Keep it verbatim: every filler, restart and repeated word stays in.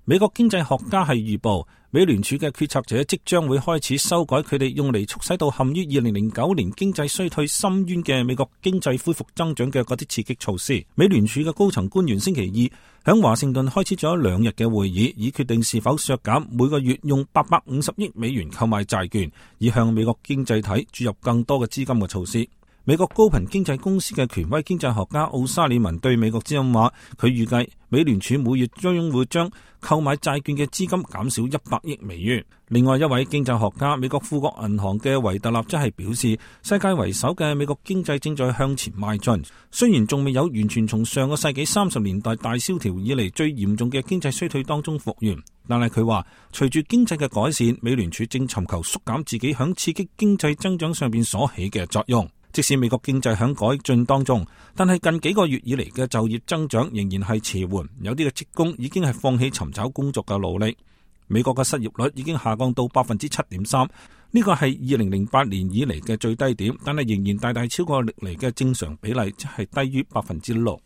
美國經濟學家係預報，美聯儲嘅決策者即將會開始修改佢哋用嚟促使到陷於二零零九年經濟衰退深淵嘅美國經濟恢復增長嘅嗰啲刺激措施。美聯儲嘅高層官員星期二響華盛頓開始咗兩日嘅會議，以決定是否削減每個月用八百五十億美元購買債券，以向美國經濟體注入更多嘅資金嘅措施。美國高頻經濟公司嘅權威經濟學家奧沙里文對美國之音話，佢預計美聯儲每月將會將購買債券嘅資金減少一百億美元。另外一位經濟學家，美國富國銀行嘅維特納則係表示，世界為首嘅美國經濟正在向前邁進，雖然仲未有完全從上個世紀三十年代大蕭條以嚟最嚴重嘅經濟衰退當中復原，但係佢話隨住經濟嘅改善，美聯儲正尋求縮減自己響刺激經濟增長上邊所起嘅作用。即使美國經濟響改進當中，但係近幾個月以嚟嘅就業增長仍然係遲緩，有啲嘅職工已經係放棄尋找工作嘅努力。美國嘅失業率已經下降到百分之七點三，呢個係二零零八年以嚟嘅最低點，但係仍然大大超過歷嚟嘅正常比例，即係低於百分之六。